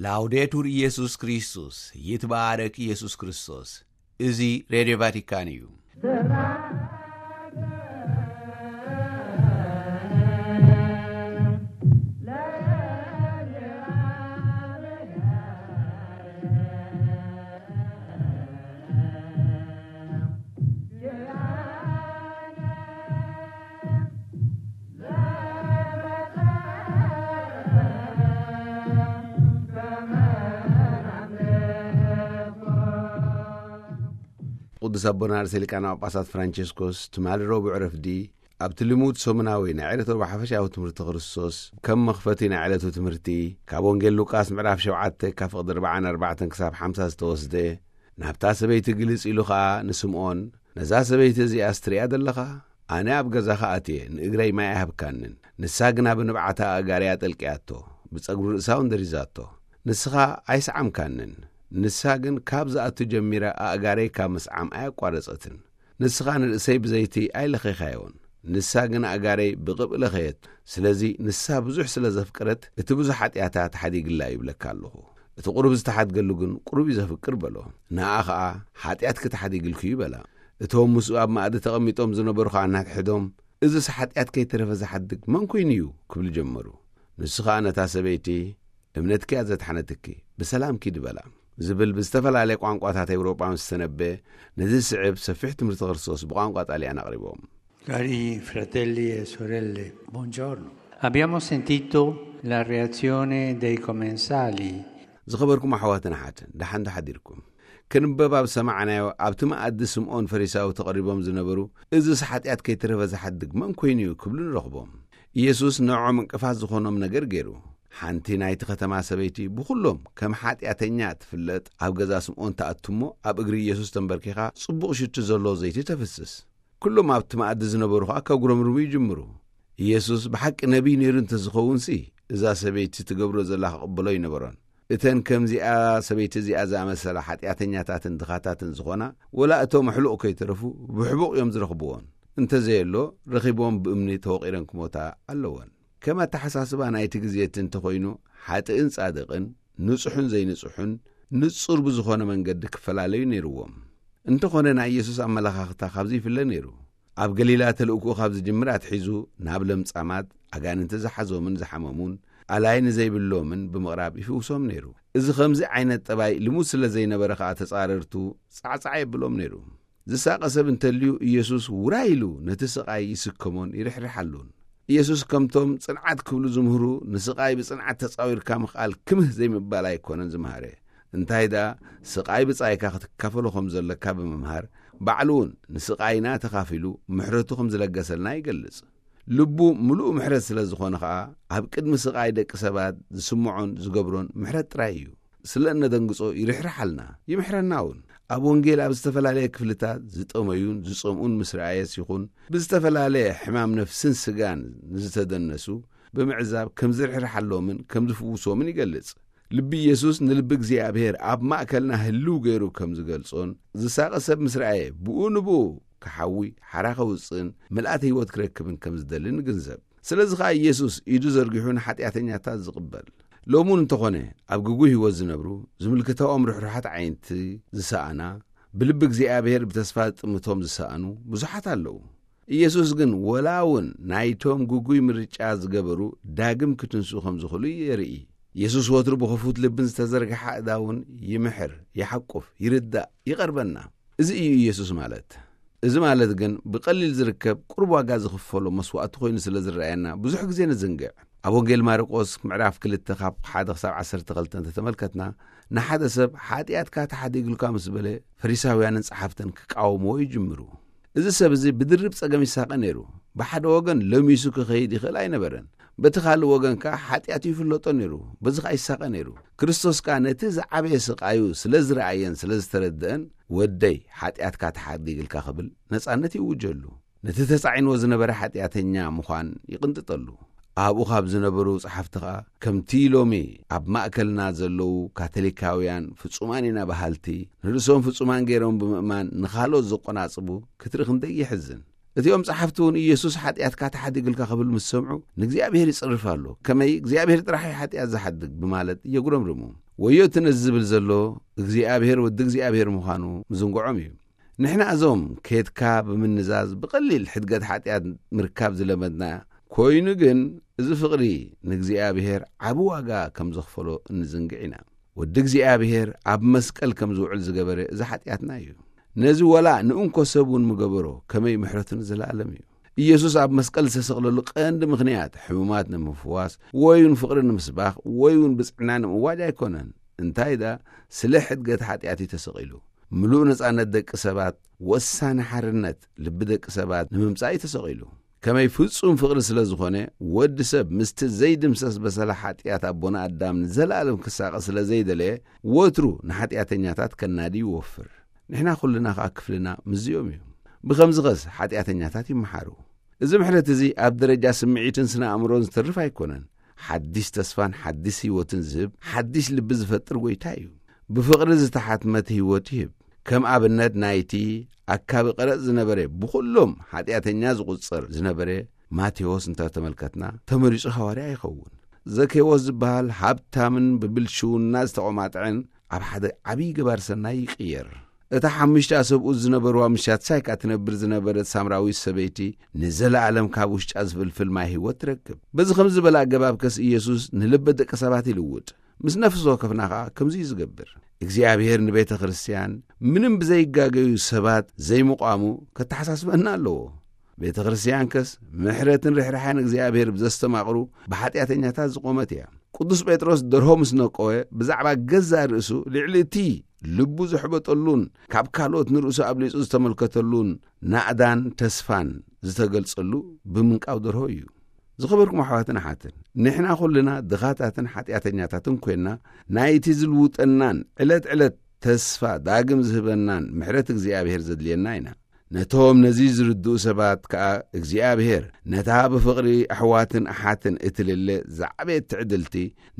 ላውዴቱር ኢየሱስ ክርስቶስ፣ ይትባረክ ኢየሱስ ክርስቶስ። እዚ ሬድዮ ቫቲካን እዩ። ቅዱስ ኣቦና ርእሰ ሊቃነ ጳጳሳት ፍራንቸስኮስ ትማሊ ረቡዕ ረፍዲ ኣብቲ ልሙድ ሰሙናዊ ናይ ዕለት ረቡዕ ሓፈሻዊ ትምህርቲ ክርስቶስ፣ ከም መኽፈቲ ናይ ዕለቱ ትምህርቲ፣ ካብ ወንጌል ሉቃስ ምዕራፍ ሸውዓተ ካብ ፍቕዲ ኣርባዓን ኣርባዕተን ክሳብ ሓምሳ ዝተወስደ፣ ናብታ ሰበይቲ ግልጽ ኢሉ ኸኣ ንስምዖን፣ "ነዛ ሰበይቲ እዚኣስ ትሪኣ ዘለኻ? ኣነ ኣብ ገዛኻ ኣትየ፣ ንእግረይ ማይ ኣይሃብካንን። ንሳ ግና ብንብዓታ ኣእጋረይ ኣጠልቅያቶ፣ ብጸጉሪ ርእሳ እውን ደሪዛቶ። ንስኻ ኣይሰዓምካንን። ንሳ ግን ካብ ዝኣቱ ጀሚራ ኣእጋረይ ካብ ምስዓም ኣያቋረጸትን። ንስኻ ንርእሰይ ብዘይቲ ኣይለኸኻዮን፣ ንሳ ግን ኣእጋረይ ብቕብኢ ለኸየት። ስለዚ ንሳ ብዙሕ ስለ ዘፍቀረት፣ እቲ ብዙሕ ሓጢኣታ ተሓዲግላ እዩ ይብለካ ኣለኹ። እቲ ቁሩብ ዝተሓድገሉ ግን ቁሩብ እዩ ዘፍቅር" በሎ። ንኣ ኸኣ፣ "ሓጢኣትኪ ተሓዲግልኪ እዩ" በላ። እቶም ምስኡ ኣብ መኣዲ ተቐሚጦም ዝነበሩ ኸኣ እናትሕዶም፣ "እዝስ ሓጢኣት ከይተረፈ ዝሓድግ መን ኮይኑ እዩ?" ክብሉ ጀመሩ። ንሱ ኸኣ ነታ ሰበይቲ፣ "እምነትኪ እያ ዘድሓነትኪ፣ ብሰላም ኪዲ" በላ። ዝብል ብዝተፈላለየ ቋንቋታት ኤውሮጳ ምስ ተነበየ፣ ነዚ ዝስዕብ ሰፊሕ ትምህርቲ ክርስቶስ ብቋንቋ ጣልያን ኣቕሪቦም። Cari fratelli e sorelle, buongiorno. Abbiamo sentito la reazione dei commensali. ዝኸበርኩም ኣሕዋትን ኣሓትን፣ ደሓን ዶ ሓዲርኩም? ክንበብ ኣብ ሰማዕናዮ፣ ኣብቲ መኣዲ ስምዖን ፈሪሳዊ ተቐሪቦም ዝነበሩ፣ "እዝስ ሓጢኣት ከይተረፈ ዝሓድግ መን ኮይኑ እዩ?" ክብሉ ንረኽቦም። ኢየሱስ ንዕኦም እንቅፋት ዝኾኖም ነገር ገይሩ። ሓንቲ ናይቲ ከተማ ሰበይቲ ብኹሎም ከም ሓጢኣተኛ ትፍለጥ፣ ኣብ ገዛ ስምዖን ትኣቱ እሞ፣ ኣብ እግሪ ኢየሱስ ተንበርኪኻ ጽቡቕ ሽቱ ዘለዎ ዘይቲ ተፍስስ። ኩሎም ኣብቲ መኣዲ ዝነበሩ ኸኣ ከጉረምርሙ ይጅምሩ። ኢየሱስ ብሓቂ ነቢይ ነይሩ እንተዝኸውንሲ፣ እዛ ሰበይቲ ትገብሮ ዘላ ክቕበሎ ኣይነበሮን። እተን ከምዚኣ ሰበይቲ እዚኣ ዝኣመሰላ ሓጢኣተኛታትን ድኻታትን ዝኾና፣ ወላ እቶም ኣሕሉቕ ከይተረፉ ብሕቡቕ እዮም ዝረኽብዎን። እንተዘየሎ፣ ረኺቦም ብእምኒ ተወቒረን ክሞታ ኣለወን። ከም ኣተሓሳስባ ናይቲ ግዜ እቲ እንተኾይኑ፣ ሓጥእን ጻድቕን፣ ንጹሕን ዘይንጹሕን፣ ንጹር ብዝኾነ መንገዲ ክፈላለዩ ነይርዎም። እንተኾነ፣ ናይ ኢየሱስ ኣመለኻኽታ ካብዚ ይፍለ ነይሩ። ኣብ ገሊላ ተልእኮኡ ካብ ዝጅምር ኣትሒዙ፣ ናብ ለምጻማት፣ ኣጋንንቲ ዝሓዞምን ዝሓመሙን፣ ኣላይ ንዘይብሎምን ብምቕራብ ይፍውሶም ነይሩ። እዚ ከምዚ ዓይነት ጠባይ ልሙድ ስለ ዘይነበረ ኸኣ፣ ተጻረርቱ ጻዕጻዕ የብሎም ነይሩ። ዝሳቐ ሰብ እንተልዩ፣ ኢየሱስ ውራይ ኢሉ ነቲ ስቓይ ይስከሞን ይርሕርሓሉን። ኢየሱስ ከምቶም ጽንዓት ክብሉ ዝምህሩ፣ ንስቓይ ብጽንዓት ተጻዊርካ ምኽኣል ክምህ ዘይምባል ኣይኮነን ዝመሃረ። እንታይ ደኣ፣ ስቓይ ብጻይካ ክትካፈሎ ከም ዘለካ ብምምሃር፣ ባዕሉ እውን ንስቓይና ተኻፊሉ ምሕረቱ ከም ዝለገሰልና ይገልጽ። ልቡ ምሉእ ምሕረት ስለ ዝኾነ ኸኣ፣ ኣብ ቅድሚ ስቓይ ደቂ ሰባት ዝስምዖን ዝገብሮን ምሕረት ጥራይ እዩ። ስለ እነደንግጾ ይርሕርሓልና፣ ይምሕረና እውን። ኣብ ወንጌል ኣብ ዝተፈላለየ ክፍልታት ዝጠመዩን ዝጸምኡን ምስ ረኣየስ ይኹን፣ ብዝተፈላለየ ሕማም ነፍስን ስጋን ንዝተደነሱ ብምዕዛብ ከም ዝርሕርሓሎምን ከም ዝፍውሶምን ይገልጽ። ልቢ ኢየሱስ ንልቢ እግዚኣብሔር ኣብ ማእከልና ህልው ገይሩ ከም ዝገልጾን፣ ዝሳቐ ሰብ ምስ ረኣየ ብኡ ንብኡ ክሓዊ ሓራ ከውጽእን ምልኣት ህይወት ክረክብን ከም ዝደሊ ንግንዘብ። ስለዚ ኸኣ ኢየሱስ ኢዱ ዘርጊሑ ንሓጢኣተኛታት ዝቕበል። ሎሚ እውን እንተኾነ ኣብ ግጉይ ህይወት ዝነብሩ፣ ዝምልክታኦም ርሕሩሓት ዓይንቲ ዝሰኣና፣ ብልቢ እግዚኣብሔር ብተስፋ ዝጥምቶም ዝሰኣኑ ብዙሓት ኣለዉ። ኢየሱስ ግን ወላ እውን ናይቶም ግጉይ ምርጫ ዝገበሩ ዳግም ክትንስኡ ከም ዝኽእሉ የርኢ። ኢየሱስ ወትሩ ብኽፉት ልብን ዝተዘርግሐ ኣእዳውን ይምሕር፣ ይሓቁፍ፣ ይርዳእ፣ ይቐርበና። እዚ እዩ ኢየሱስ ማለት። እዚ ማለት ግን ብቐሊል ዝርከብ ቁሩብ ዋጋ ዝኽፈሎ መስዋእቲ ኮይኑ ስለ ዝረኣየና ብዙሕ ግዜ ንዝንግዕ። ኣብ ወንጌል ማርቆስ ምዕራፍ ክልተ ካብ ሓደ ክሳብ ዓሰርተ ክልተ እንተተመልከትና፣ ንሓደ ሰብ ሓጢኣትካ ተሓዲግልካ ምስ በለ፣ ፈሪሳውያንን ጸሓፍትን ክቃወምዎ ይጅምሩ። እዚ ሰብ እዚ ብድርብ ጸገም ይሳቐ ነይሩ። ብሓደ ወገን ለሚሱ ክኸይድ ይኽእል ኣይነበረን። በቲ ካልእ ወገን ከኣ ሓጢኣቱ ይፍለጦ ነይሩ። በዚ ኸኣ ይሳቐ ነይሩ። ክርስቶስ ከኣ ነቲ ዝዓበየ ስቓዩ ስለ ዝረኣየን ስለ ዝተረድአን፣ "ወደይ፣ ሓጢኣትካ ተሓዲግልካ" ክብል ነጻነት ይእውጀሉ። ነቲ ተጻዒንዎ ዝነበረ ሓጢኣተኛ ምዃን ይቕንጥጠሉ። ኣብኡ ካብ ዝነበሩ ጸሓፍቲ ኸኣ፣ ከምቲ ሎሚ ኣብ ማእከልና ዘለዉ ካቶሊካውያን ፍጹማን ኢና በሃልቲ፣ ንርእሶም ፍጹማን ገይሮም ብምእማን ንኻልኦት ዘቆናጽቡ ክትርኢ ክንደይ የሕዝን። እቲኦም ጸሓፍቲ እውን ኢየሱስ ሓጢኣትካ ተሓዲግልካ ክብል ምስ ሰምዑ፣ ንእግዚኣብሔር ይጽርፍ ኣሎ፣ ከመይ እግዚኣብሔር ጥራሕ እዩ ሓጢኣት ዝሓድግ ብማለት የጉረምርሙ። ወዮ እቲ ነዚ ዝብል ዘሎ፣ እግዚኣብሔር ወዲ እግዚኣብሔር ምዃኑ ምዝንግዖም እዩ። ንሕና እዞም ኬድካ ብምንዛዝ ብቐሊል ሕድገት ሓጢኣት ምርካብ ዝለመድና ኮይኑ ግን፣ እዚ ፍቕሪ ንእግዚኣብሔር ዓቢ ዋጋ ከም ዘኽፈሎ እንዝንግዕ ኢና። ወዲ እግዚኣብሔር ኣብ መስቀል ከም ዝውዕል ዝገበረ እዚ ሓጢኣትና እዩ። ነዚ ወላ ንእንኮ ሰብ እውን ምገበሮ፣ ከመይ ምሕረቱ ንዘለኣለም እዩ። ኢየሱስ ኣብ መስቀል ዝተሰቕለሉ ቀንዲ ምኽንያት ሕሙማት ንምፍዋስ ወይ እውን ፍቕሪ ንምስባኽ ወይ እውን ብጽዕና ንምእዋጅ ኣይኮነን። እንታይ ደኣ፣ ስለ ሕድገት ሓጢኣት እዩ ተሰቒሉ። ምሉእ ነጻነት ደቂ ሰባት፣ ወሳኒ ሓርነት ልቢ ደቂ ሰባት ንምምጻእ እዩ ተሰቒሉ። ከመይ ፍጹም ፍቕሪ ስለ ዝኾነ፣ ወዲ ሰብ ምስቲ ዘይድምሰስ በሰላ ሓጢኣት ኣቦና ኣዳም ንዘለኣለም ክሳቐ ስለ ዘይደለየ፣ ወትሩ ንሓጢኣተኛታት ከናዲ ይወፍር። ንሕና ኩልና ከኣ ክፍልና ምስዚኦም እዩ። ብኸምዚ ኸስ ሓጢኣተኛታት ይመሓሩ። እዚ ምሕረት እዚ ኣብ ደረጃ ስምዒትን ስነ ኣእምሮን ዝተርፍ ኣይኮነን። ሓድሽ ተስፋን ሓድሽ ህይወትን ዝህብ፣ ሓድሽ ልቢ ዝፈጥር ጐይታ እዩ። ብፍቕሪ ዝተሓትመት ህይወት ይህብ። ከም ኣብነት ናይቲ ኣካቢ ቀረጽ ዝነበረ፣ ብኹሎም ሓጢኣተኛ ዝቑጸር ዝነበረ ማቴዎስ እንተ ተመልከትና፣ ተመሪጹ ሃዋርያ ይኸውን። ዘኬዎስ ዝበሃል ሃብታምን ብብልሽውና ዝተቖማጥዐን ኣብ ሓደ ዓብዪ ገባር ሰናይ ይቕየር። እታ ሓሙሽተ ኣሰብኡት ዝነበርዋ ምሻት ሳይካ ትነብር ዝነበረት ሳምራዊት ሰበይቲ ንዘለኣለም ካብ ውሽጣ ዝፍልፍል ማይ ህይወት ትረክብ። በዚ ከምዚ ዝበለ ኣገባብ ከስ ኢየሱስ ንልበ ደቂ ሰባት ይልውጥ። ምስ ነፍሲ ወከፍና ኸኣ ከምዚ እዩ ዝገብር። እግዚኣብሔር ንቤተ ክርስቲያን ምንም ብዘይጋገዩ ሰባት ዘይምቋሙ ከተሓሳስበና ኣለዎ። ቤተ ክርስቲያን ከስ ምሕረትን ርሕራሕን እግዚኣብሔር ብዘስተማቕሩ ብሓጢኣተኛታት ዝቖመት እያ። ቅዱስ ጴጥሮስ ደርሆ ምስ ነቀወ ብዛዕባ ገዛእ ርእሱ ልዕሊ እቲ ልቡ ዘሕበጠሉን ካብ ካልኦት ንርእሱ ኣብሊጹ ዝተመልከተሉን ናእዳን ተስፋን ዝተገልጸሉ ብምንቃው ደርሆ እዩ። ዝኸበርኩም ኣሕዋትን ኣሓትን፣ ንሕና ኩልና ድኻታትን ሓጢኣተኛታትን ኮይንና፣ ናይቲ ዝልውጠናን ዕለት ዕለት ተስፋ ዳግም ዝህበናን ምሕረት እግዚኣብሔር ዘድልየና ኢና። ነቶም ነዚ ዝርድኡ ሰባት ከኣ እግዚኣብሔር ነታ ብፍቕሪ ኣሕዋትን ኣሓትን እትልለ ዝዓበየት ትዕድልቲ፣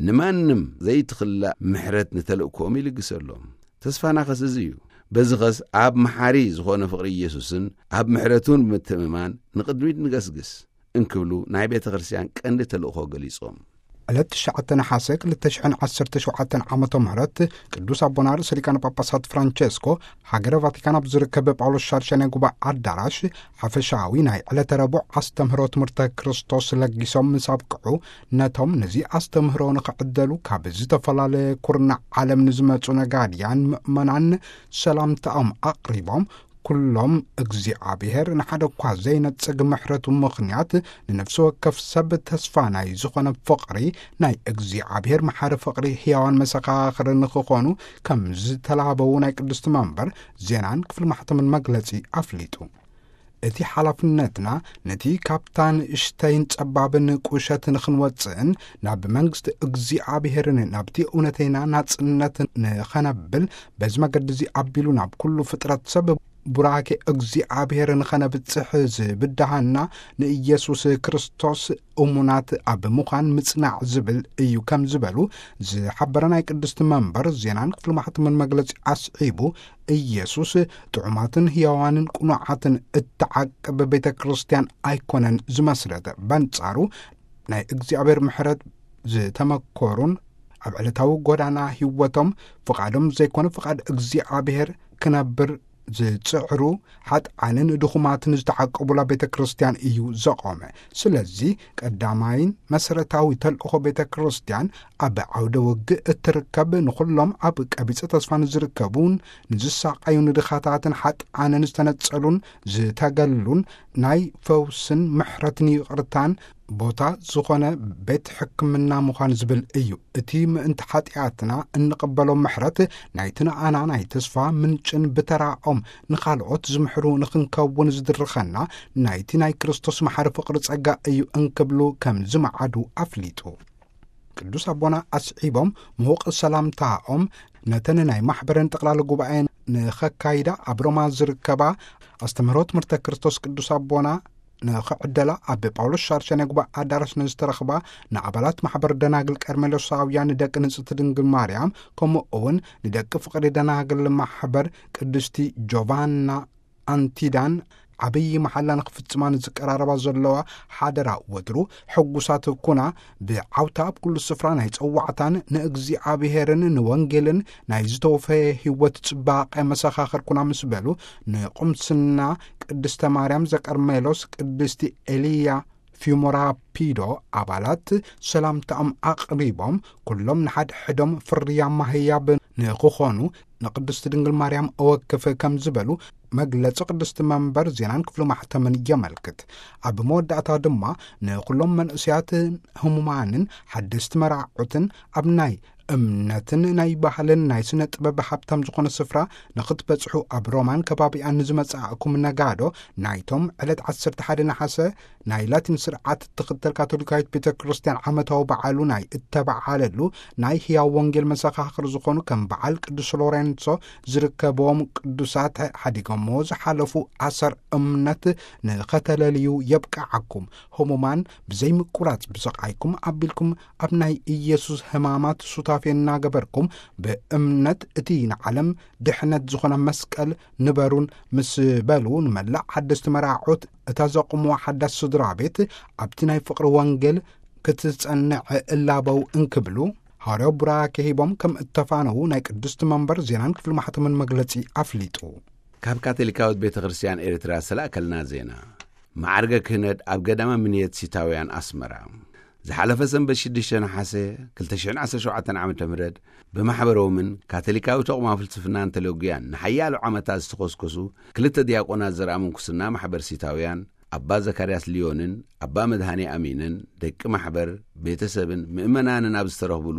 ንማንም ዘይትኽላእ ምሕረት ንተልእኮኦም ይልግሰሎም። ተስፋና ኸስ እዚ እዩ። በዚ ኸስ ኣብ መሓሪ ዝኾነ ፍቕሪ ኢየሱስን ኣብ ምሕረቱን ብምትእምማን ንቕድሚት ንገስግስ እንክብሉ ናይ ቤተ ክርስቲያን ቀንዲ ተልእኾ ገሊጾም። ዕለት ትሽዓተ ነሓሰ ክልተ ሽሕን ዓሰርተ ሸውዓተን ዓመተ ምህረት ቅዱስ ኣቦና ርእሰ ሊቃነ ጳጳሳት ፍራንቸስኮ ሃገረ ቫቲካን ኣብ ዝርከብ ጳውሎስ ሻድሻይ ናይ ጉባኤ ኣዳራሽ ሓፈሻዊ ናይ ዕለተ ረቡዕ ኣስተምህሮ ትምህርተ ክርስቶስ ለጊሶም ምስ ኣብቅዑ፣ ነቶም ነዚ ኣስተምህሮ ንኽዕደሉ ካብ ዝተፈላለየ ኩርናዕ ዓለም ንዝመጹ ነጋድያን ምእመናን ሰላምታኦም ኣቕሪቦም፣ ኩሎም እግዚኣብሔር ንሓደ እኳ ዘይነጽግ ምሕረቱ ምኽንያት ንነፍሲ ወከፍ ሰብ ተስፋ ናይ ዝኾነ ፍቕሪ ናይ እግዚኣብሔር መሓሪ ፍቕሪ ሕያዋን መሰኻኽሪ ንኽኾኑ ከም ዝተላበዉ ናይ ቅድስቲ መንበር ዜናን ክፍሊ ማሕተምን መግለጺ ኣፍሊጡ። እቲ ሓላፍነትና ነቲ ካብታ ንእሽተይን ጸባብን ቁሸት ንኽንወጽእን ናብ መንግስቲ እግዚኣብሔርን ናብቲ እውነተይና ናጽነት ንኸነብል በዚ መገዲ እዚ ኣቢሉ ናብ ኩሉ ፍጥረት ሰብ ቡራኬ እግዚኣብሔር ንኸነብጽሕ ዝብድሃና ንኢየሱስ ክርስቶስ እሙናት ኣብ ምዃን ምጽናዕ ዝብል እዩ ከም ዝበሉ ዝሓበረ ናይ ቅድስቲ መንበር ዜናን ክፍሊ ማሕተምን መግለጺ ኣስዒቡ፣ ኢየሱስ ጥዑማትን ሕያዋንን ቅኑዓትን እትዓቅብ ቤተ ክርስቲያን ኣይኮነን ዝመስረት። በንጻሩ ናይ እግዚኣብሔር ምሕረት ዝተመኮሩን ኣብ ዕለታዊ ጎዳና ህይወቶም ፍቓዶም ዘይኮነ ፍቓድ እግዚኣብሔር ክነብር ዝጽዕሩ ሓጥዓንን ድኹማትን ዝተዓቀቡላ ቤተ ክርስቲያን እዩ ዘቖመ። ስለዚ ቀዳማይን መሰረታዊ ተልእኾ ቤተ ክርስቲያን ኣብ ዓውደ ውግእ እትርከብ ንኹሎም ኣብ ቀቢጸ ተስፋ ንዝርከቡን ንዝሳቐዩ ንድኻታትን ሓጥዓንን ዝተነጸሉን ዝተገሉን ናይ ፈውስን ምሕረትን ይቕርታን ቦታ ዝኾነ ቤት ሕክምና ምዃን ዝብል እዩ። እቲ ምእንቲ ሓጢኣትና እንቕበሎ ምሕረት ናይቲ ንኣና ናይ ተስፋ ምንጭን ብተራኦም ንኻልኦት ዝምሕሩ ንኽንከውን ዝድርኸና ናይቲ ናይ ክርስቶስ መሓሪ ፍቕሪ ጸጋ እዩ እንክብሉ ከም ዝመዓዱ ኣፍሊጡ። ቅዱስ ኣቦና ኣስዒቦም ምዉቕ ሰላምታኦም ነተን ናይ ማሕበረን ጠቕላላ ጉባኤ ንኸካይዳ ኣብ ሮማ ዝርከባ ኣስተምህሮ ትምህርተ ክርስቶስ ቅዱስ ኣቦና ንኽዕደላ ኣብ ጳውሎስ ሻርሸ ናይ ጉባኤ ኣዳራሽ ንዝተረኽባ ንኣባላት ማሕበር ደናግል ቀርሜሎሳውያን ንደቂ ንጽሕቲ ድንግል ማርያም ከምኡ እውን ንደቂ ፍቕሪ ደናግል ማሕበር ቅድስቲ ጆቫና ኣንቲዳን ዓብዪ መሓላ ንኽፍጽማ ንዝቀራረባ ዘለዋ ሓደራ ወትሩ ሕጉሳት ኩና፣ ብዓውታ ኣብ ኩሉ ስፍራ ናይ ጸዋዕታን ንእግዚኣብሔርን ንወንጌልን ናይ ዝተወፈየ ህይወት ጽባቐ መሰኻኽር ኩና ምስ በሉ፣ ንቁምስና ቅድስተ ማርያም ዘቀርሜሎስ፣ ቅድስቲ ኤልያ ፊሞራፒዶ ኣባላት ሰላምታኦም ኣቕሪቦም፣ ኩሎም ንሓድሕዶም ፍርያማ ህያብ ንኽኾኑ ንቅድስቲ ድንግል ማርያም እወክፍ ከም ዝበሉ መግለጺ ቅድስቲ መንበር ዜናን ክፍሉ ማሕተምን የመልክት። ኣብ መወዳእታ ድማ ንኩሎም መንእስያት ህሙማንን ሓደስቲ መራዕዑትን ኣብ ናይ እምነትን ናይ ባህልን ናይ ስነ ጥበብ ሃብታም ዝኾነ ስፍራ ንኽትበጽሑ፣ ኣብ ሮማን ከባቢኣን ንዝመጻእኩም ነጋዶ ናይቶም ዕለት ዓሰርተ ሓደ ነሓሰ ናይ ላቲን ስርዓት እትኽተል ካቶሊካዊት ቤተ ክርስቲያን ዓመታዊ በዓሉ ናይ እተበዓለሉ ናይ ህያው ወንጌል መሰኻኽር ዝኾኑ ከም በዓል ቅዱስ ሎሬንሶ ዝርከብዎም ቅዱሳት ሓዲጎምዎ ዝሓለፉ ኣሰር እምነት ንኸተለልዩ የብቅዓኩም። ህሙማን ብዘይምቁራጽ ብስቓይኩም ኣቢልኩም ኣብ ናይ ኢየሱስ ህማማት ሱታፌ እናገበርኩም ብእምነት እቲ ንዓለም ድሕነት ዝኾነ መስቀል ንበሩን ምስ በሉ፣ ንመላእ ሓደስቲ መራዕዑት እታ ዘቑምዋ ሓዳስ ስድራ ቤት ኣብቲ ናይ ፍቕሪ ወንጌል ክትጸንዕ እላበው እንክብሉ፣ ሃዋርያዊ ቡራኬ ሂቦም ከም እተፋነዉ ናይ ቅድስቲ መንበር ዜናን ክፍሊ ማሕተምን መግለጺ ኣፍሊጡ። ካብ ካቶሊካዊት ቤተ ክርስቲያን ኤርትራ ዝተላእከልና ዜና። ማዕርገ ክህነት ኣብ ገዳመ ምንየት ሲታውያን ኣስመራ። ዝሓለፈ ሰንበት ሽዱሽተ ነሓሰ ክልተ ሽሕን ዓሰርተ ሸውዓተን ዓመተ ምህረት ብማሕበሮምን ካቶሊካዊ ተቋም ፍልስፍናን ተለጉያን ንሓያሎ ዓመታት ዝተኾስኮሱ ክልተ ዲያቆናት ዘርኣ ምንኩስና ማሕበር ሲታውያን፣ ኣባ ዘካርያስ ሊዮንን ኣባ መድሃኔ ኣሚንን፣ ደቂ ማሕበር፣ ቤተሰብን ምእመናንን ኣብ ዝተረኽብሉ፣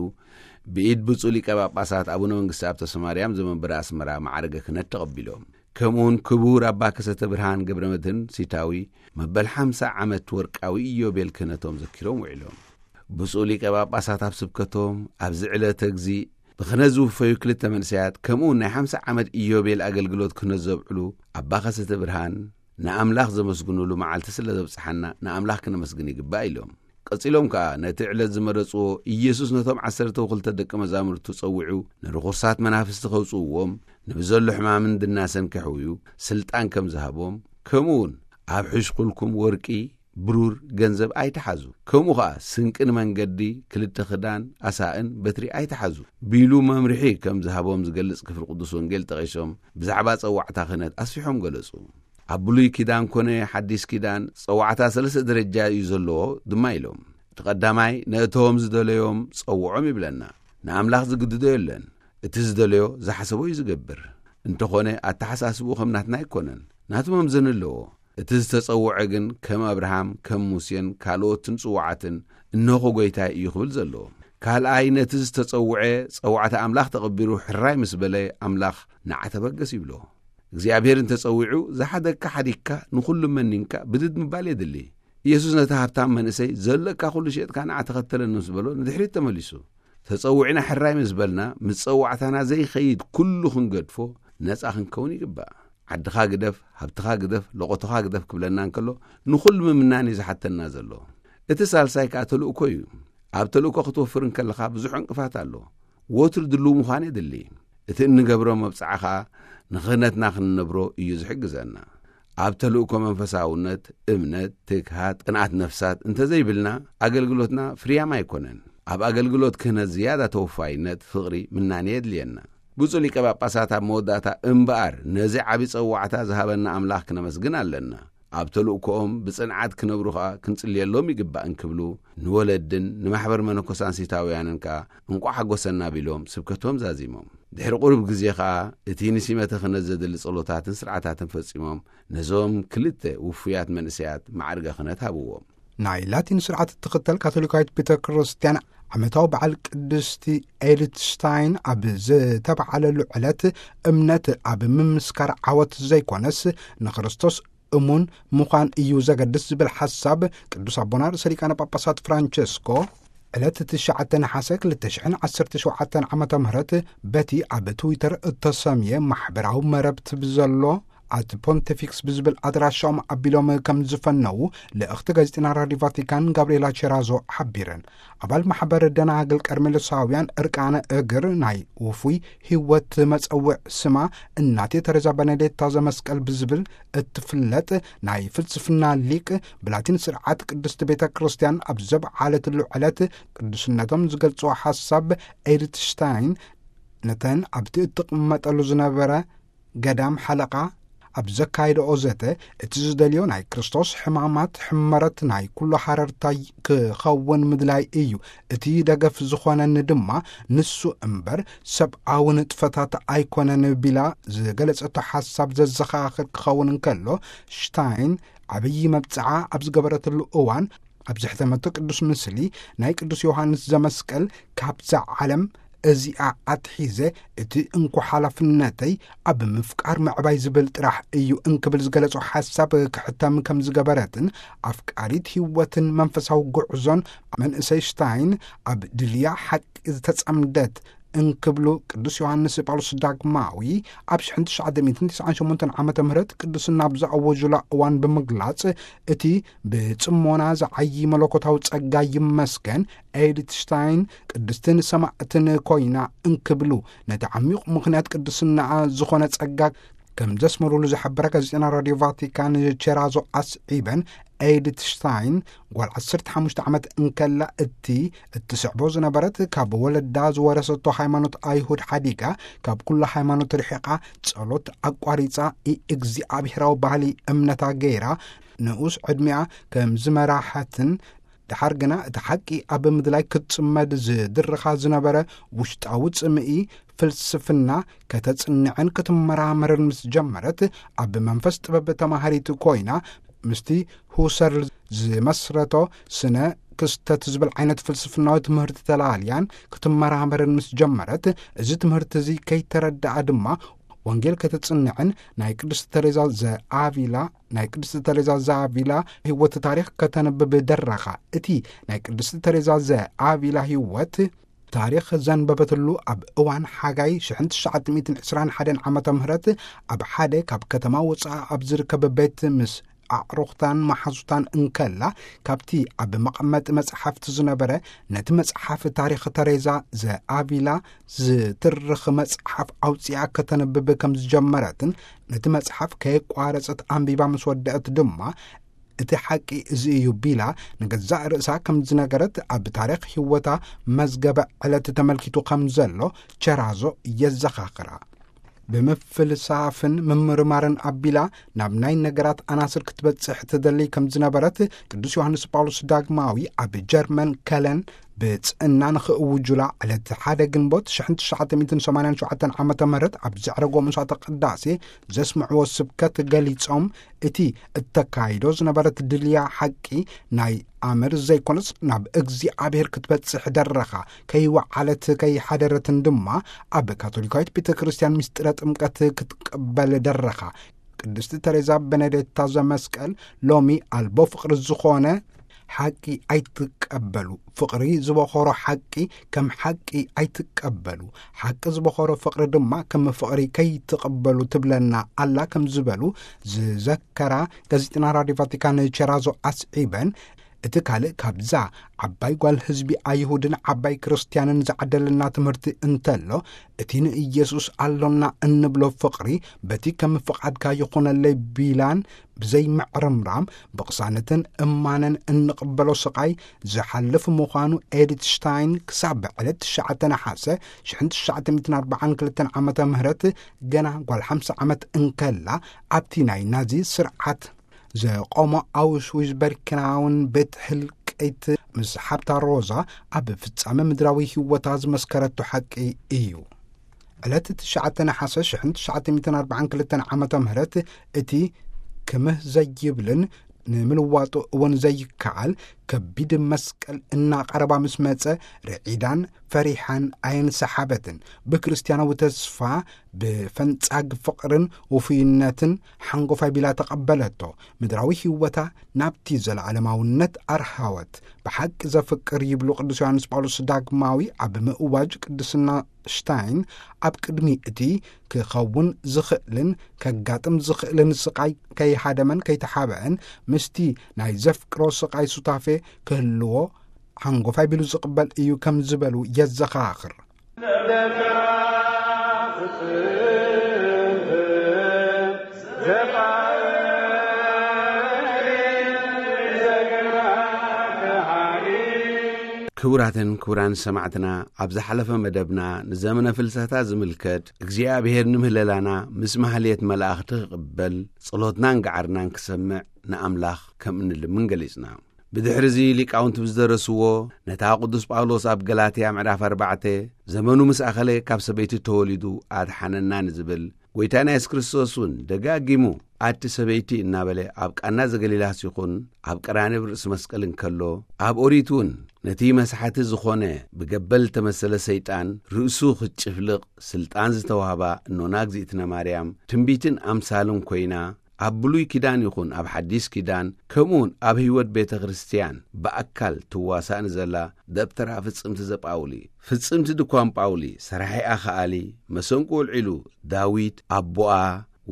ብኢድ ብፁዕ ሊቀ ጳጳሳት ኣቡነ መንግስቲ ኣብ ተስፋማርያም ዘመንበረ ኣስመራ ማዕርገ ክህነት ተቐቢሎም። ከምኡውን ክቡር ኣባ ከሰተ ብርሃን ገብረ መድህን ሲታዊ መበል ሓምሳ ዓመት ወርቃዊ ኢዮቤል ክህነቶም ዘኪሮም ውዒሎም። ብፁዕ ሊቀ ጳጳሳት ኣብ ስብከቶም፣ ኣብዚ ዕለተ እግዚእ ብኽህነት ዝውፈዩ ክልተ መንእሰያት፣ ከምኡውን ናይ ሓምሳ ዓመት ኢዮቤል ኣገልግሎት ክህነት ዘብዕሉ ኣባ ከሰተ ብርሃን፣ ንኣምላኽ ዘመስግኑሉ መዓልቲ ስለ ዘብጽሓና ንኣምላኽ ክነመስግን ይግባእ ኢሎም። ቀጺሎም ከኣ ነቲ ዕለት ዝመረጽዎ፣ ኢየሱስ ነቶም ዓሰርተ ወክልተ ደቂ መዛሙርቱ ጸዊዑ ንርኹሳት መናፍስቲ ከውጽእዎም፣ ንብዘሎ ሕማምን ድናሰን ከሕውዩ ስልጣን ከም ዝሃቦም፣ ከምኡውን ኣብ ሕሽኩልኩም ወርቂ፣ ብሩር፣ ገንዘብ ኣይትሓዙ፣ ከምኡ ኸኣ ስንቂ ንመንገዲ፣ ክልተ ክዳን፣ ኣሳእን በትሪ ኣይትሓዙ ቢሉ መምርሒ ከም ዝሃቦም ዝገልጽ ክፍሊ ቅዱስ ወንጌል ጠቒሶም፣ ብዛዕባ ጸዋዕታ ክህነት ኣስፊሖም ገለጹ። ኣብ ብሉይ ኪዳን ኮነ ሓዲስ ኪዳን ጸዋዕታ ሰለስተ ደረጃ እዩ ዘለዎ ድማ ኢሎም። እቲ ቀዳማይ ነእቶም ዝደለዮም ጸውዖም ይብለና። ንኣምላኽ ዝግድዶ የለን። እቲ ዝደለዮ ዝሓሰቦ እዩ ዝገብር። እንተኾነ ኣተሓሳስብኡ ከም ናትና ኣይኮነን። ናቱ መምዘኒ ኣለዎ። እቲ ዝተጸውዐ ግን ከም ኣብርሃም፣ ከም ሙሴን ካልኦትን ጽዋዓትን እንሆ ጐይታይ እዩ ክብል ዘለዎ። ካልኣይ ነቲ ዝተጸውዐ ጸዋዕታ ኣምላኽ ተቐቢሩ ሕራይ ምስ በለ ኣምላኽ ንዓ ተበገስ ይብሎ። እግዚኣብሔር እንተጸዊዑ ዝሓደግካ ሓዲግካ ንኹሉ መኒንካ ብድድ ምባል የድሊ። ኢየሱስ ነቲ ሃብታም መንእሰይ ዘለካ ኩሉ ሸጥካ ንዓ ተኸተለኒ ምስ በሎ ንድሕሪት ተመሊሱ። ተጸዊዕና ሕራይ ምስ በልና ምስ ጸዋዕታና ዘይኸይድ ኩሉ ክንገድፎ ነጻ ክንከውን ይግባእ። ዓድኻ ግደፍ፣ ሃብትኻ ግደፍ፣ ለቖቶኻ ግደፍ ክብለና እንከሎ ንኹሉ ምምናን እዩ ዝሓተና ዘሎ። እቲ ሳልሳይ ከኣ ተልእኮ እዩ። ኣብ ተልእኮ ክትወፍር እንከለኻ ብዙሕ ዕንቅፋት ኣሎ። ወትሩ ድልው ምዃን የድሊ። እቲ እንገብሮ መብጽዓ ኸኣ ንኽህነትና ክንነብሮ እዩ ዝሕግዘና። ኣብ ተልእኮ መንፈሳውነት፣ እምነት፣ ትግሃት፣ ቅንኣት ነፍሳት እንተዘይብልና ኣገልግሎትና ፍርያም ኣይኮነን። ኣብ ኣገልግሎት ክህነት ዝያዳ ተወፋይነት፣ ፍቕሪ፣ ምናኔ የድልየና። ብፁዕ ሊቀ ጳጳሳት ኣብ መወዳእታ እምበኣር ነዚ ዓቢ ጸዋዕታ ዝሃበና ኣምላኽ ክነመስግን ኣለና። ኣብ ተልእኮኦም ብጽንዓት ክነብሩ ኸኣ ክንጽልየሎም ይግባእ እንክብሉ ንወለድን ንማሕበር መነኮሳን ሲታውያንን ከኣ እንቋዕ ሓጎሰና ቢሎም ስብከቶም ዛዚሞም። ድሕሪ ቁሩብ ግዜ ኸኣ እቲ ንሲመተ ክህነት ዘድሊ ጸሎታትን ስርዓታትን ፈጺሞም ነዞም ክልተ ውፉያት መንእሰያት ማዕርገ ክህነት ሃብዎም። ናይ ላቲን ስርዓት እትኽተል ካቶሊካዊት ቤተ ክርስቲያን ዓመታዊ በዓል ቅድስቲ ኤድትስታይን ኣብ ዝተበዓለሉ ዕለት እምነት ኣብ ምምስካር ዓወት ዘይኮነስ ንክርስቶስ እሙን ምዃን እዩ ዘገድስ ዝብል ሓሳብ ቅዱስ ኣቦና ርእሰ ሊቃነ ጳጳሳት ፍራንቸስኮ ዕለት ትሽዓተ ነሓሰ ክልተ ሽሕን ዓሰርተ ሸውዓተን ዓመተ ምህረት በቲ ኣብ ትዊተር እተሰምየ ማሕበራዊ መረብቲ ብዘሎ ኣት ፖንቲፊክስ ብዝብል ኣድራሻኦም ኣቢሎም ከም ዝፈነዉ ልእኽቲ ጋዜጠና ራዲዮ ቫቲካን ጋብርኤላ ቼራዞ ሓቢረን። ኣባል ማሕበር ደናግል ቀርሜሎሳውያን እርቃነ እግር ናይ ውፉይ ህይወት መጸውዕ ስማ እናቴ ተሬዛ በነዴታ ዘመስቀል ብዝብል እትፍለጥ ናይ ፍልስፍና ሊቅ፣ ብላቲን ስርዓት ቅድስቲ ቤተ ክርስቲያን ኣብ ዘብዓለትሉ ዕለት ቅዱስነቶም ዝገልጽዎ ሓሳብ ኤድትሽታይን ነተን ኣብቲ እትቕመጠሉ ዝነበረ ገዳም ሓለቓ ኣብ ዘካየደኦ ዘተ፣ እቲ ዝደልዮ ናይ ክርስቶስ ሕማማት ሕመረት ናይ ኩሉ ሓረርታይ ክኸውን ምድላይ እዩ። እቲ ደገፍ ዝኾነኒ ድማ ንሱ እምበር ሰብኣዊ ንጥፈታት ኣይኮነን ቢላ ዝገለጸቶ ሓሳብ ዘዘኻኽር ክኸውን እንከሎ፣ ሽታይን ዓብዪ መብጽዓ ኣብ ዝገበረትሉ እዋን፣ ኣብ ዘሕተመቶ ቅዱስ ምስሊ ናይ ቅዱስ ዮሃንስ ዘመስቀል፣ ካብዛ ዓለም እዚኣ ኣትሒዘ እቲ እንኮ ሓላፍነተይ ኣብ ምፍቃር ምዕባይ ዝብል ጥራሕ እዩ እንክብል ዝገለጾ ሓሳብ ክሕተም ከም ዝገበረትን፣ ኣፍቃሪት ህይወትን መንፈሳዊ ጉዕዞን መንእሰይ ሽታይን ኣብ ድልያ ሓቂ ዝተጸምደት እንክብሉ ቅዱስ ዮሃንስ ጳውሎስ ዳግማዊ ኣብ ሽሕን ትሽዓተ ሚእትን ትስዓን ሸሞንተን ዓመተ ምህረት ቅዱስና ኣብ ዝኣወጁላ እዋን ብምግላጽ፣ እቲ ብጽሞና ዝዓዪ መለኮታዊ ጸጋ ይመስገን፣ ኤድትሽታይን ቅድስትን ሰማዕትን ኮይና እንክብሉ፣ ነቲ ዓሚቕ ምኽንያት ቅድስናኣ ዝኾነ ጸጋ ከም ዘስመሩሉ ዝሓበረ ጋዜጠና ራዲዮ ቫቲካን ቼራዞ ኣስዒበን፣ ኤድትሽታይን ጓል ዓሰርተ ሓሙሽተ ዓመት እንከላ እቲ እትስዕቦ ዝነበረት ካብ ወለዳ ዝወረሰቶ ሃይማኖት ኣይሁድ ሓዲጋ፣ ካብ ኩሉ ሃይማኖት ርሒቓ፣ ጸሎት ኣቋሪጻ፣ ኢእግዚኣብሄራዊ ባህሊ እምነታ ገይራ፣ ንኡስ ዕድሚኣ ከም ዝመራሐትን፣ ደሓር ግና እቲ ሓቂ ኣብ ምድላይ ክትጽመድ ዝድርኻ ዝነበረ ውሽጣዊ ጽምኢ ፍልስፍና ከተጽንዕን ክትመራመርን ምስ ጀመረት፣ ኣብ መንፈስ ጥበብ ተማሃሪት ኮይና፣ ምስቲ ሁሰርል ዝመስረቶ ስነ ክስተት ዝብል ዓይነት ፍልስፍናዊ ትምህርቲ ተላልያን ክትመራመርን ምስ ጀመረት፣ እዚ ትምህርቲ እዚ ከይተረድኣ ድማ ወንጌል ከተጽንዕን ናይ ቅድስቲ ተሬዛ ዘኣቪላ፣ ናይ ቅድስቲ ተሬዛ ዘኣቪላ ህይወት ታሪኽ ከተንብብ ደረኻ። እቲ ናይ ቅድስቲ ተሬዛ ዘኣቪላ ህይወት ታሪኽ ዘንበበትሉ ኣብ እዋን ሓጋይ ሽሕን ትሽዓተ ሚእትን ዕስራን ሓደን ዓመተ ምህረት ኣብ ሓደ ካብ ከተማ ወጻኢ ኣብ ዝርከብ ቤት ምስ ኣዕሩኽታን መሓዙታን እንከላ፣ ካብቲ ኣብ መቐመጢ መጽሓፍቲ ዝነበረ ነቲ መጽሓፍ ታሪኽ ተሬዛ ዘኣቪላ ዝትርኽ መጽሓፍ ኣውጺኣ ከተንብብ ከም ዝጀመረትን፣ ነቲ መጽሓፍ ከየቋረጸት ኣንቢባ ምስ ወደአት ድማ፣ እቲ ሓቂ እዚ እዩ ቢላ ንገዛእ ርእሳ ከም ዝነገረት፣ ኣብ ታሪኽ ህይወታ መዝገበ ዕለት ተመልኪቱ ከም ዘሎ ቸራዞ የዘኻኽራ። ብምፍልሳፍን ምምርማርን ኣቢላ ናብ ናይ ነገራት ኣናስር ክትበጽሕ ትደሊ ከም ዝነበረት፣ ቅዱስ ዮሃንስ ጳውሎስ ዳግማዊ ኣብ ጀርመን ከለን ብጽእና ንኽእውጁላ ዕለት ሓደ ግንቦት ሽሕን ትሽዓተ ሚእትን ሰማንያን ሸውዓተን ዓመተ ምህረት ኣብ ዘዕረጎ ምሳተ ቅዳሴ ዘስምዕዎ ስብከት ገሊጾም፣ እቲ እተካይዶ ዝነበረት ድልያ ሓቂ ናይ ኣምር ዘይኮነስ ናብ እግዚኣብሔር ክትበጽሕ ደረኻ፣ ከይወዓለት ከይሓደረትን ድማ ኣብ ካቶሊካዊት ቤተ ክርስቲያን ምስጢረ ጥምቀት ክትቅበል ደረኻ። ቅድስቲ ተሬዛ በነዴታ ዘመስቀል ሎሚ ኣልቦ ፍቕሪ ዝኾነ ሓቂ ኣይትቀበሉ፣ ፍቕሪ ዝበኾሮ ሓቂ ከም ሓቂ ኣይትቀበሉ፣ ሓቂ ዝበኾሮ ፍቕሪ ድማ ከም ፍቕሪ ከይትቕበሉ ትብለና ኣላ ከም ዝበሉ ዝዘከራ ጋዜጠና ራዲዮ ቫቲካን ቸራዞ ኣስዒበን፣ እቲ ካልእ ካብዛ ዓባይ ጓል ህዝቢ ኣይሁድን ዓባይ ክርስትያንን ዝዓደለና ትምህርቲ እንተሎ፣ እቲ ንኢየሱስ ኣሎና እንብሎ ፍቕሪ በቲ ከም ፍቓድካ ይኹነለይ ቢላን ብዘይ ምዕርምራም ብቕሳነትን እማነን እንቕበሎ ስቓይ ዝሓልፍ ምዃኑ ኤዲት ሽታይን ክሳብ ዕለት ትሽዓተ ነሓሰ ሽሕን ትሽዓተ ሚእትን ኣርባዓን ክልተን ዓመተ ምህረት ገና ጓል ሓምሳ ዓመት እንከላ ኣብቲ ናይ ናዚ ስርዓት ዘቆሞ ኣውሽዊዝ በርክናውን ቤት ህልቂት ምስ ሓብታ ሮዛ ኣብ ፍጻመ ምድራዊ ህይወታ ዝመስከረቶ ሓቂ እዩ። ዕለት ትሽዓተ ነሓሰ ሽሕን ትሽዓተ ሚእትን ኣርባዓን ክልተን ዓመተ ምህረት እቲ ክምህ ዘይብልን ንምልዋጡ እውን ዘይከኣል ከቢድ መስቀል እናቐረባ ምስ መጸ፣ ርዒዳን ፈሪሓን ኣየንሰሓበትን። ብክርስትያናዊ ተስፋ፣ ብፈንጻግ ፍቕርን ውፉይነትን ሓንጎፋይ ቢላ ተቐበለቶ። ምድራዊ ህይወታ ናብቲ ዘለዓለማውነት ኣርሃወት። ብሓቂ ዘፍቅር ይብሉ ቅዱስ ዮሃንስ ጳውሎስ ዳግማዊ ኣብ ምእዋጅ ቅድስና ሽታይን፣ ኣብ ቅድሚ እቲ ክኸውን ዝኽእልን ከጋጥም ዝኽእልን ስቓይ ከይሃደመን ከይተሓበአን፣ ምስቲ ናይ ዘፍቅሮ ስቓይ ሱታፌ ክህልዎ ሓንጎፋይ ቢሉ ዝቕበል እዩ ከም ዝበሉ የዘኻኽር። ክቡራትን ክቡራን ሰማዕትና፣ ኣብ ዝሓለፈ መደብና ንዘመነ ፍልሰታ ዝምልከት እግዚኣብሔር ንምህለላና ምስ ማህሌት መላእኽቲ ክቕበል ጸሎትናን ገዓርናን ክሰምዕ ንኣምላኽ ከም እንልምን ገሊጽና። ብድሕርዚ ሊቃውንቲ ብዝደረስዎ ነታ ቅዱስ ጳውሎስ ኣብ ገላትያ ምዕራፍ ኣርባዕተ ዘመኑ ምስ ኣኸለ ካብ ሰበይቲ ተወሊዱ ኣድሓነና ንዝብል ጐይታና የሱስ ክርስቶስ እውን ደጋጊሙ ኣቲ ሰበይቲ እናበለ ኣብ ቃና ዘገሊላስ ይኹን ኣብ ቀራንብ ርእሲ መስቀል እንከሎ፣ ኣብ ኦሪት እውን ነቲ መስሓቲ ዝኾነ ብገበል ዝተመሰለ ሰይጣን ርእሱ ክትጭፍልቕ ስልጣን ዝተዋህባ እኖና እግዚኣብነ ማርያም ትንቢትን ኣምሳልን ኮይና፣ ኣብ ብሉይ ኪዳን ይኹን ኣብ ሓዲስ ኪዳን፣ ከምኡውን ኣብ ህይወት ቤተ ክርስቲያን ብኣካል ትዋሳእ ንዘላ ደብተራ ፍጽምቲ ዘጳውሊ፣ ፍጽምቲ ድኳን ጳውሊ፣ ሰራሒኣ ከኣሊ፣ መሰንቆ ኣልዒሉ ዳዊት ኣቦኣ፣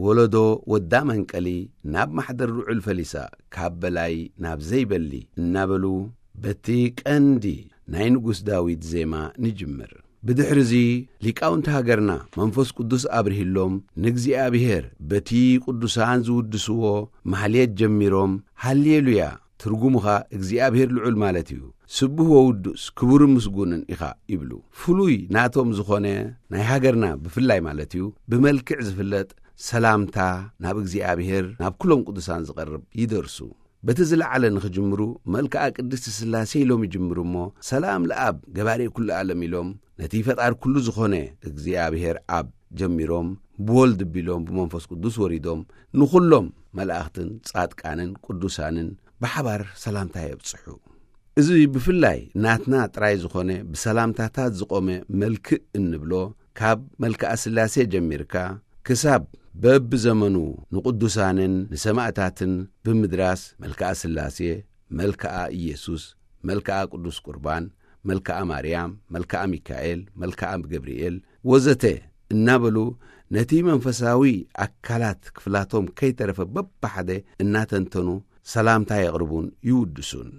ወለዶ ወዳ መንቀሊ፣ ናብ ማሕደር ልዑል ፈሊሳ፣ ካብ በላይ ናብ ዘይበሊ እናበሉ፣ በቲ ቀንዲ ናይ ንጉስ ዳዊት ዜማ ንጅምር። ብድሕርዚ ሊቃውንቲ ሃገርና መንፈስ ቅዱስ ኣብርሂሎም ንእግዚኣብሔር በቲ ቅዱሳን ዝውድስዎ ማህሌት ጀሚሮም፣ ሃሌሉያ፣ ትርጉሙኻ እግዚኣብሔር ልዑል ማለት እዩ፣ ስቡህ ወውዱስ ክቡርን ምስጉንን ኢኻ ይብሉ። ፍሉይ ናቶም ዝኾነ ናይ ሃገርና ብፍላይ ማለት እዩ ብመልክዕ ዝፍለጥ ሰላምታ ናብ እግዚኣብሔር ናብ ኩሎም ቅዱሳን ዝቐርብ ይደርሱ። በቲ ዝለዓለ ንኽጅምሩ፣ መልክዓ ቅድስቲ ሥላሴ ኢሎም ይጅምሩ እሞ፣ ሰላም ለኣብ ገባሬ ኩሉ ዓለም ኢሎም፣ ነቲ ፈጣር ኩሉ ዝኾነ እግዚኣብሔር ኣብ ጀሚሮም፣ ብወልድ ቢሎም፣ ብመንፈስ ቅዱስ ወሪዶም፣ ንኹሎም መላእኽትን ጻድቃንን ቅዱሳንን ብሓባር ሰላምታ የብጽሑ። እዚ ብፍላይ ናትና ጥራይ ዝኾነ ብሰላምታታት ዝቖመ መልክእ እንብሎ፣ ካብ መልክዓ ሥላሴ ጀሚርካ ክሳብ በብዘመኑ ንቅዱሳንን ንሰማእታትን ብምድራስ፣ መልክዓ ሥላሴ፣ መልክዓ ኢየሱስ፣ መልክዓ ቅዱስ ቁርባን፣ መልክዓ ማርያም፣ መልክዓ ሚካኤል፣ መልክዓ ገብርኤል ወዘተ እናበሉ፣ ነቲ መንፈሳዊ ኣካላት ክፍላቶም ከይተረፈ በብሓደ እናተንተኑ ሰላምታ የቕርቡን ይውድሱን።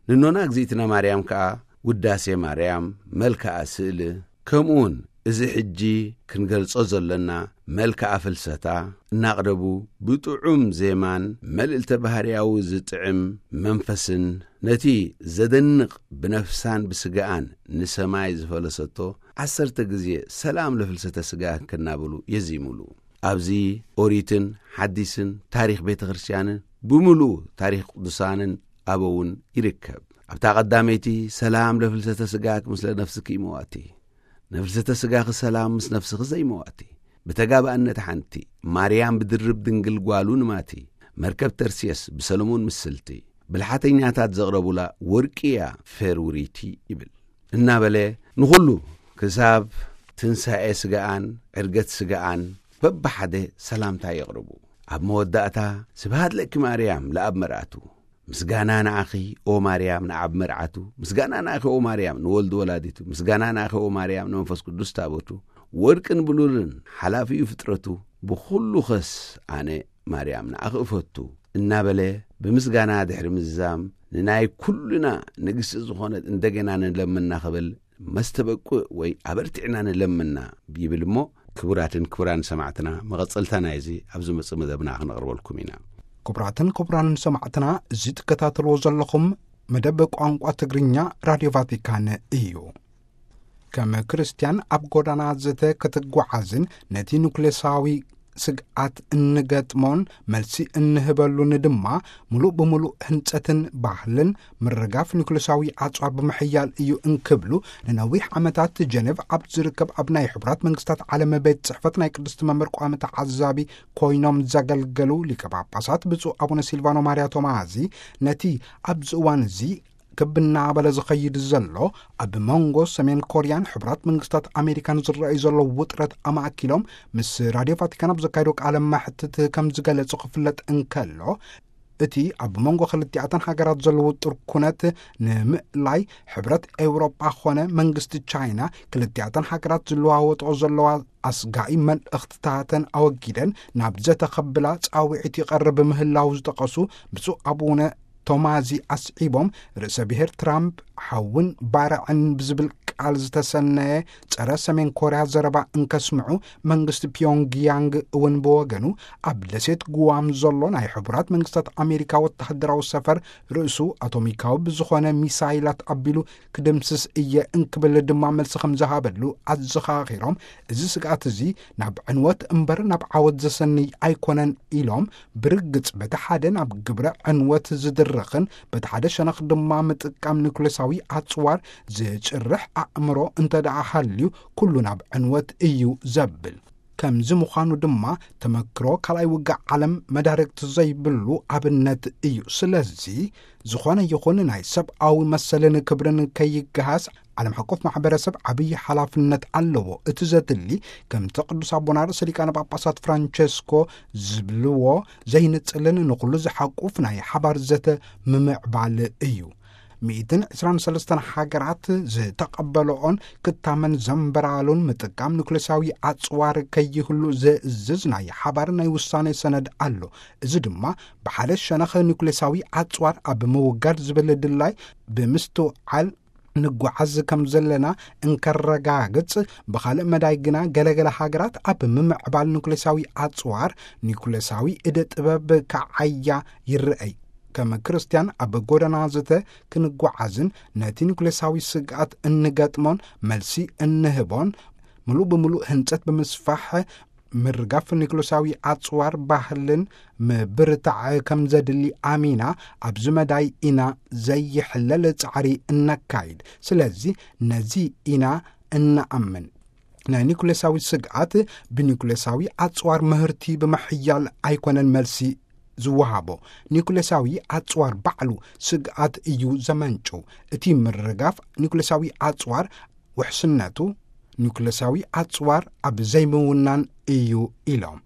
ንኖና እግዚኣብነ ማርያም ከኣ ውዳሴ ማርያም፣ መልክዓ ስእሊ፣ ከምኡውን እዚ ሕጂ ክንገልጾ ዘሎና መልክዓ ፍልሰታ እናቕረቡ፣ ብጥዑም ዜማን መልእልተ ባህርያዊ ዝጥዕም መንፈስን፣ ነቲ ዘደንቕ ብነፍሳን ብስጋኣን ንሰማይ ዝፈለሰቶ ዓሰርተ ግዜ ሰላም ለፍልሰተ ስጋኪ እናበሉ የዚሙሉ። ኣብዚ ኦሪትን ሓዲስን ታሪኽ ቤተ ክርስቲያንን ብምሉኡ ታሪኽ ቅዱሳንን ኣበውን ይርከብ። ኣብታ ቀዳመይቲ ሰላም ለፍልሰተ ስጋኪ ምስለ ነፍስኪ ይመዋቲ፣ ነፍልሰተ ስጋኺ ሰላም ምስ ነፍስኺ ዘይመዋቲ፣ ብተጋባእነት ሓንቲ ማርያም ብድርብ ድንግል ጓሉ ንማቲ፣ መርከብ ተርሴስ ብሰለሞን ምስልቲ፣ ብልሓተኛታት ዘቕረቡላ ወርቂ እያ ፌር ውሪቲ ይብል። እናበለ ንኹሉ ክሳብ ትንሳኤ ስጋኣን ዕርገት ስጋኣን በብሓደ ሰላምታ የቕርቡ። ኣብ መወዳእታ ስብሃት ለኪ ማርያም ለኣብ መርኣቱ፣ ምስጋና ንኣኺ ኦ ማርያም ንኣብ መርዓቱ፣ ምስጋና ንኣኺ ኦ ማርያም ንወልድ ወላዲቱ፣ ምስጋና ንኣኺ ኦ ማርያም ንመንፈስ ቅዱስ ታቦቱ፣ ወርቅን ብሉልን ሓላፊኡ ፍጥረቱ፣ ብኹሉ ኸስ ኣነ ማርያም ንኣኺ እፈቱ እናበለ ብምስጋና ድሕሪ ምዝዛም፣ ንናይ ኩልና ንግስቲ ዝኾነት እንደገና ንለምና ክብል መስተበቁዕ ወይ ኣበርቲዕና ንለምና ይብል እሞ፣ ክቡራትን ክቡራን ሰማዕትና፣ መቐጸልታ ናይዚ ኣብ ዝመጽእ መደብና ክነቕርበልኩም ኢና። ክቡራትን ክቡራንን ሰማዕትና፣ እዚ ትከታተልዎ ዘለኹም መደብ ቋንቋ ትግርኛ ራድዮ ቫቲካን እዩ። ከም ክርስትያን ኣብ ጎዳና ዘተ ክትጓዓዝን ነቲ ኑክሌሳዊ ስግኣት እንገጥሞን መልሲ እንህበሉን ድማ፣ ምሉእ ብምሉእ ህንጸትን ባህልን ምርጋፍ ኒኩሌሳዊ ኣጽዋር ብምሕያል እዩ እንክብሉ፣ ንነዊሕ ዓመታት ጀኔቭ ኣብ ዝርከብ ኣብ ናይ ሕቡራት መንግስታት ዓለም ቤት ጽሕፈት ናይ ቅድስቲ መንበር ቋሚ ተዓዛቢ ኮይኖም ዘገልገሉ ሊቀ ጳጳሳት ብፁዕ ኣቡነ ሲልቫኖ ማርያ ቶማዚ፣ ነቲ ኣብዚ እዋን እዚ ክብ እናበለ ዝኸይድ ዘሎ፣ ኣብ መንጎ ሰሜን ኮርያን ሕቡራት መንግስታት ኣሜሪካን ዝረኣዩ ዘለዉ ውጥረት ኣማእኪሎም ምስ ራድዮ ቫቲካን ኣብ ዘካየዶ ቃለ መሕትት ከም ዝገለጹ ክፍለጥ እንከሎ፣ እቲ ኣብ መንጎ ክልቲኣተን ሃገራት ዘለዉ ጥርኩነት ንምእላይ ሕብረት ኤውሮጳ ኾነ መንግስቲ ቻይና ክልቲኣተን ሃገራት ዝለዋወጥኦ ዘለዋ ኣስጋኢ መልእኽትታተን ኣወጊደን ናብ ዘተ ከብላ ጻውዒት ይቐርብ ምህላው ዝጠቐሱ ብፁዕ ኣቡነ ቶማዚ ኣስዒቦም፣ ርእሰ ብሔር ትራምፕ ሓውን ባርዕን ብዝብል ቃል ዝተሰነየ ጸረ ሰሜን ኮርያ ዘረባ እንከስምዑ፣ መንግስቲ ፒዮንግያንግ እውን ብወገኑ ኣብ ደሴት ጉዋም ዘሎ ናይ ሕቡራት መንግስታት ኣሜሪካ ወተሃደራዊ ሰፈር ርእሱ ኣቶሚካዊ ብዝኾነ ሚሳይላት ኣቢሉ ክድምስስ እየ እንክብል ድማ መልሲ ከም ዝሃበሉ ኣዘኻኺሮም፣ እዚ ስግኣት እዚ ናብ ዕንወት እምበር ናብ ዓወት ዘሰንይ ኣይኮነን ኢሎም፣ ብርግጽ በቲ ሓደ ናብ ግብረ ዕንወት ዝድርኽን በቲ ሓደ ሸነኽ ድማ ምጥቃም ኒኩሌሳዊ ኣጽዋር ዝጭርሕ ኣእምሮ እንተ ደኣ ሃልዩ፣ ኩሉ ናብ ዕንወት እዩ ዘብል። ከምዚ ምዃኑ ድማ፣ ተመክሮ ካልኣይ ውግእ ዓለም መዳርግቲ ዘይብሉ ኣብነት እዩ። ስለዚ፣ ዝኾነ ይኹን ናይ ሰብኣዊ መሰልን ክብርን ከይገሃስ፣ ዓለም ሓቆፍ ማሕበረሰብ ዓብዪ ሓላፍነት ኣለዎ። እቲ ዘድሊ፣ ከምቲ ቅዱስ ኣቦና ርእሰ ሊቃነ ጳጳሳት ፍራንቸስኮ ዝብልዎ፣ ዘይንጽልን ንኹሉ ዝሓቁፍ ናይ ሓባር ዘተ ምምዕባል እዩ። ሚእትን ዕስራን ሰለስተን ሃገራት ዝተቐበለኦን ክታመን ዘንበራሉን ምጥቃም ኒኩሌሳዊ ኣጽዋር ከይህሉ ዝእዝዝ ናይ ሓባር ናይ ውሳኔ ሰነድ ኣሎ። እዚ ድማ ብሓደ ሸነኽ ኒኩሌሳዊ ኣጽዋር ኣብ ምውጋድ ዝብል ድላይ ብምስትውዓል ንጓዓዝ ከም ዘለና እንከረጋግጽ፣ ብኻልእ መዳይ ግና ገለገለ ሃገራት ኣብ ምምዕባል ኒኩሌሳዊ ኣጽዋር፣ ኒኩሌሳዊ እደ ጥበብ ከዓያ ይረኣይ። ከም ክርስትያን ኣብ ጎደና ዘተ ክንጓዓዝን ነቲ ኒኩሌሳዊ ስግኣት እንገጥሞን መልሲ እንህቦን፣ ምሉእ ብምሉእ ህንጸት ብምስፋሕ ምርጋፍ ኒኩሌሳዊ ኣጽዋር ባህልን ምብርታዕ ከም ዘድሊ ኣሚና፣ ኣብዚ መዳይ ኢና ዘይሕለል ጻዕሪ እነካይድ። ስለዚ ነዚ ኢና እንኣምን። ናይ ኒኩሌሳዊ ስግኣት ብኒኩሌሳዊ ኣጽዋር ምህርቲ ብምሕያል ኣይኮነን መልሲ ዝወሃቦ። ኒኩሌሳዊ ኣጽዋር ባዕሉ ስግኣት እዩ ዘመንጭው። እቲ ምርጋፍ ኒኩሌሳዊ ኣጽዋር ውሕስነቱ ኒኩሌሳዊ ኣጽዋር ኣብ ዘይምውናን እዩ ኢሎም።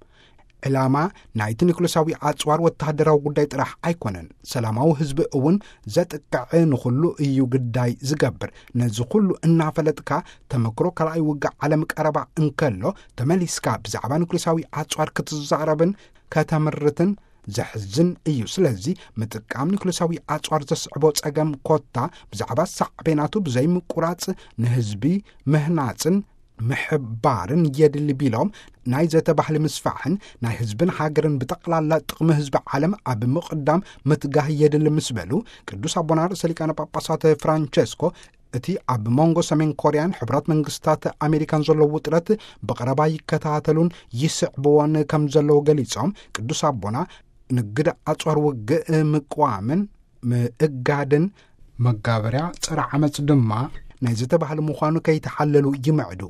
ዕላማ ናይቲ ኒኩሌሳዊ ኣጽዋር ወተሃደራዊ ጉዳይ ጥራሕ ኣይኮነን። ሰላማዊ ህዝቢ እውን ዘጥቅዕ ንኹሉ እዩ ግዳይ ዝገብር። ነዚ ኩሉ እናፈለጥካ፣ ተመክሮ ካልኣይ ውግእ ዓለም ቀረባ እንከሎ፣ ተመሊስካ ብዛዕባ ኒኩሌሳዊ ኣጽዋር ክትዛረብን ከተምርትን ዘሕዝን እዩ። ስለዚ ምጥቃም ኒኩሌሳዊ ኣጽዋር ዘስዕቦ ጸገም ኮታ ብዛዕባ ሳዕቤናቱ ብዘይምቁራጽ ንህዝቢ ምህናጽን ምሕባርን የድሊ ቢሎም፣ ናይ ዘተ ባህሊ ምስፋሕን ናይ ህዝብን ሃገርን ብጠቕላላ ጥቕሚ ህዝቢ ዓለም ኣብ ምቕዳም ምትጋህ የድሊ ምስ በሉ፣ ቅዱስ ኣቦና ርእሰ ሊቃነ ጳጳሳት ፍራንቸስኮ እቲ ኣብ መንጎ ሰሜን ኮርያን ሕቡራት መንግስታት ኣሜሪካን ዘሎ ውጥረት ብቐረባ ይከታተሉን ይስዕብዎን ከም ዘለዉ ገሊጾም፣ ቅዱስ ኣቦና ንግድ ኣጽዋር ውግእ ምቅዋምን ምእጋድን መጋበርያ ጸረ ዓመጽ ድማ ናይ ዝተባህለ ምዃኑ ከይተሓለሉ ይምዕዱ።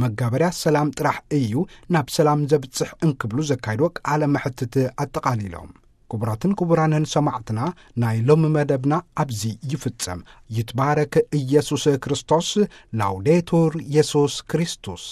መጋበርያ ሰላም ጥራሕ እዩ ናብ ሰላም ዘብጽሕ እንክብሉ ዘካይድዎ ቃለ መሕትት ኣጠቓሊሎም። ክቡራትን ክቡራንን ሰማዕትና፣ ናይ ሎሚ መደብና ኣብዚ ይፍጸም። ይትባረክ ኢየሱስ ክርስቶስ። ላውዴቱር ኢየሱስ ክርስቶስ።